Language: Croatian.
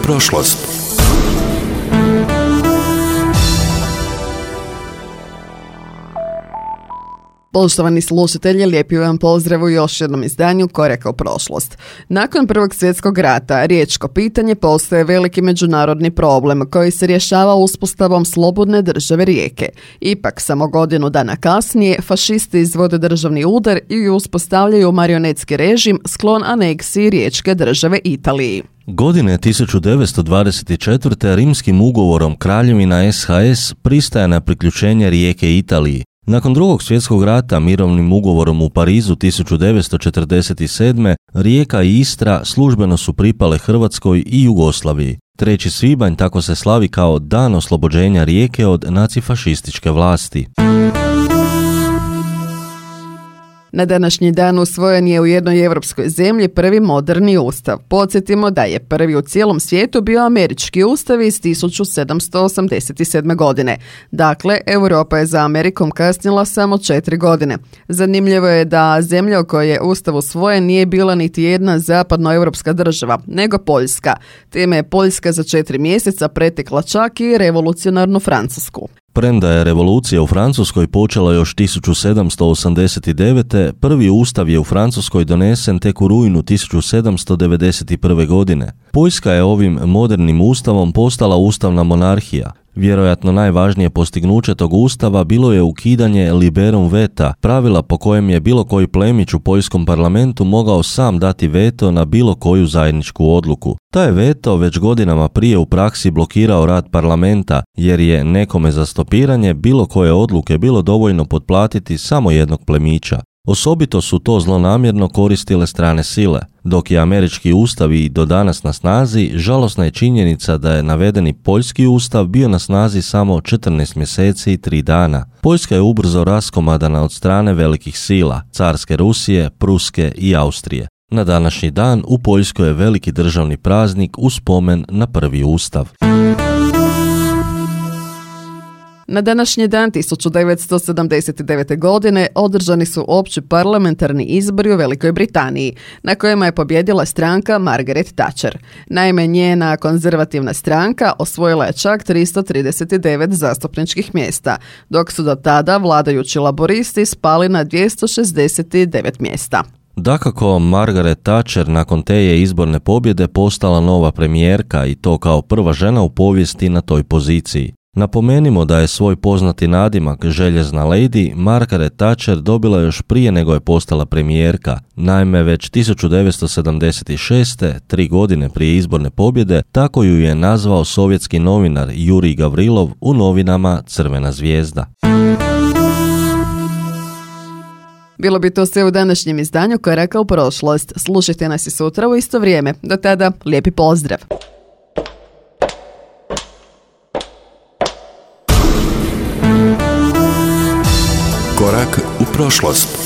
prošlost. Poštovani slušatelji, lijepi vam pozdrav u još jednom izdanju Koraka u prošlost. Nakon Prvog svjetskog rata, riječko pitanje postaje veliki međunarodni problem koji se rješava uspostavom slobodne države Rijeke. Ipak, samo godinu dana kasnije, fašisti izvode državni udar i uspostavljaju marionetski režim sklon aneksiji riječke države Italiji. Godine 1924. rimskim ugovorom Kraljevina SHS pristaje na priključenje Rijeke Italiji. Nakon Drugog svjetskog rata mirovnim ugovorom u Parizu 1947. Rijeka i Istra službeno su pripale Hrvatskoj i Jugoslaviji. 3. svibanj tako se slavi kao dan oslobođenja Rijeke od nacifašističke vlasti. Na današnji dan usvojen je u jednoj europskoj zemlji prvi moderni ustav. Podsjetimo da je prvi u cijelom svijetu bio američki ustav iz 1787. godine. Dakle, Europa je za Amerikom kasnila samo 4 godine. Zanimljivo je da zemlja u kojoj je ustav usvojen nije bila niti jedna zapadnoevropska država, nego Poljska. Time je Poljska za 4 mjeseca pretekla čak i revolucionarnu Francusku. Premda je revolucija u Francuskoj počela još 1789. prvi ustav je u Francuskoj donesen tek u rujnu 1791. godine. Poljska je ovim modernim ustavom postala ustavna monarhija. Vjerojatno najvažnije postignuće tog ustava bilo je ukidanje liberum veta, pravila po kojem je bilo koji plemić u poljskom parlamentu mogao sam dati veto na bilo koju zajedničku odluku. Taj veto već godinama prije u praksi blokirao rad parlamenta, jer je nekome za stopiranje bilo koje odluke bilo dovoljno potplatiti samo jednog plemića. Osobito su to zlonamjerno koristile strane sile. Dok je američki ustav i do danas na snazi, žalosna je činjenica da je navedeni poljski ustav bio na snazi samo 14 mjeseci i 3 dana. Poljska je ubrzo raskomadana od strane velikih sila, carske Rusije, Pruske i Austrije. Na današnji dan u Poljskoj je veliki državni praznik u spomen na prvi ustav. Na današnji dan 1979. godine održani su opći parlamentarni izbori u Velikoj Britaniji, na kojima je pobjedila stranka Margaret Thatcher. Naime, njena konzervativna stranka osvojila je čak 339 zastupničkih mjesta, dok su do tada vladajući laboristi spali na 269 mjesta. Dakako, Margaret Thatcher nakon te je izborne pobjede postala nova premijerka i to kao prva žena u povijesti na toj poziciji. Napomenimo da je svoj poznati nadimak Željezna lady Margaret Thatcher dobila još prije nego je postala premijerka. Naime, već 1976. 3 godine prije izborne pobjede, tako ju je nazvao sovjetski novinar Jurij Gavrilov u novinama Crvena zvijezda. Bilo bi to sve u današnjem izdanju Koraka u prošlost. Slušajte nas i sutra u isto vrijeme. Do tada, lijepi pozdrav! Korak u prošlost.